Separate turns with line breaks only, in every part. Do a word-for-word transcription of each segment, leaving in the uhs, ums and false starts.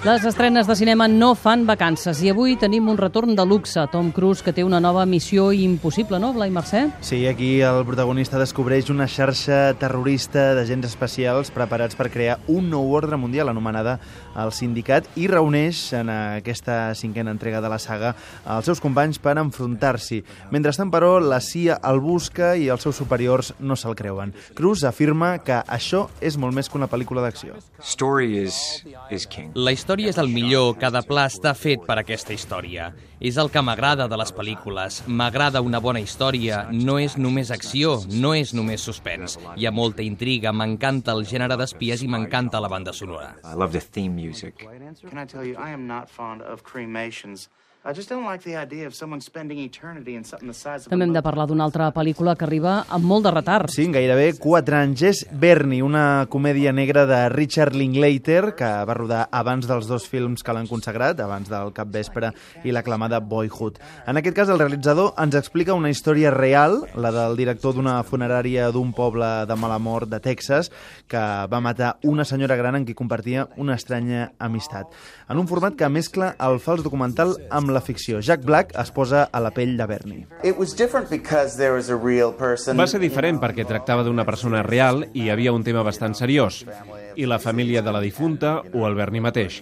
Les estrenes de cinema no fan vacances i avui tenim un retorn de luxe. Tom Cruise, que té una nova missió impossible, no, Blai Mercè?
Sí, aquí el protagonista descobreix una xarxa terrorista d'agents especials preparats per crear un nou ordre mundial anomenada el Sindicat i reuneix en aquesta cinquena entrega de la saga els seus companys per enfrontar-s'hi. Mentrestant, però, la C I A el busca i els seus superiors no se'l creuen. Cruise afirma que això és molt més que una pel·lícula d'acció.
Story is, is king.
La història és el millor, cada pla està fet per aquesta història. És el que m'agrada de les pel·lícules. M'agrada una bona història, no és només acció, no és només suspens. Hi ha molta intriga, m'encanta el gènere d'espies i m'encanta la banda sonora.
I love the theme music.
Can I tell you, I am not fond of cremations. I just don't like the idea of someone spending eternity in something the size of a
També hem de parlar d'una altra pel·lícula que arriba amb molt de retard.
Sí, gairebé quatre anys. És Bernie, una comèdia negra de Richard Linklater, que va rodar abans dels dos films que l'han consagrat, abans del Capvespre i l'aclamada Boyhood. En aquest cas, el realitzador ens explica una història real, la del director d'una funerària d'un poble de mala mort de Texas, que va matar una senyora gran en qui compartia una estranya amistat. En un format que mescla el fals documental amb la ficció. Jack Black es posa a la pell de Bernie.
Va ser diferent perquè tractava d'una persona real i hi havia un tema bastant seriós, i la família de la difunta o el Bernie mateix.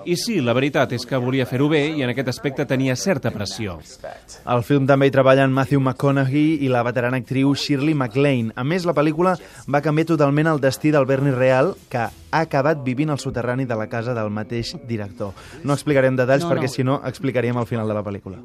I sí, la veritat és que volia fer-ho bé i en aquest aspecte tenia certa pressió.
Al film també hi treballen Matthew McConaughey i la veterana actriu Shirley MacLaine. A més, la pel·lícula va canviar totalment el destí del Bernie real, que ha acabat vivint al soterrani de la casa del mateix director. No explicarem detalls
no,
perquè,
no.
si no, explicaríem al final de la pel·lícula.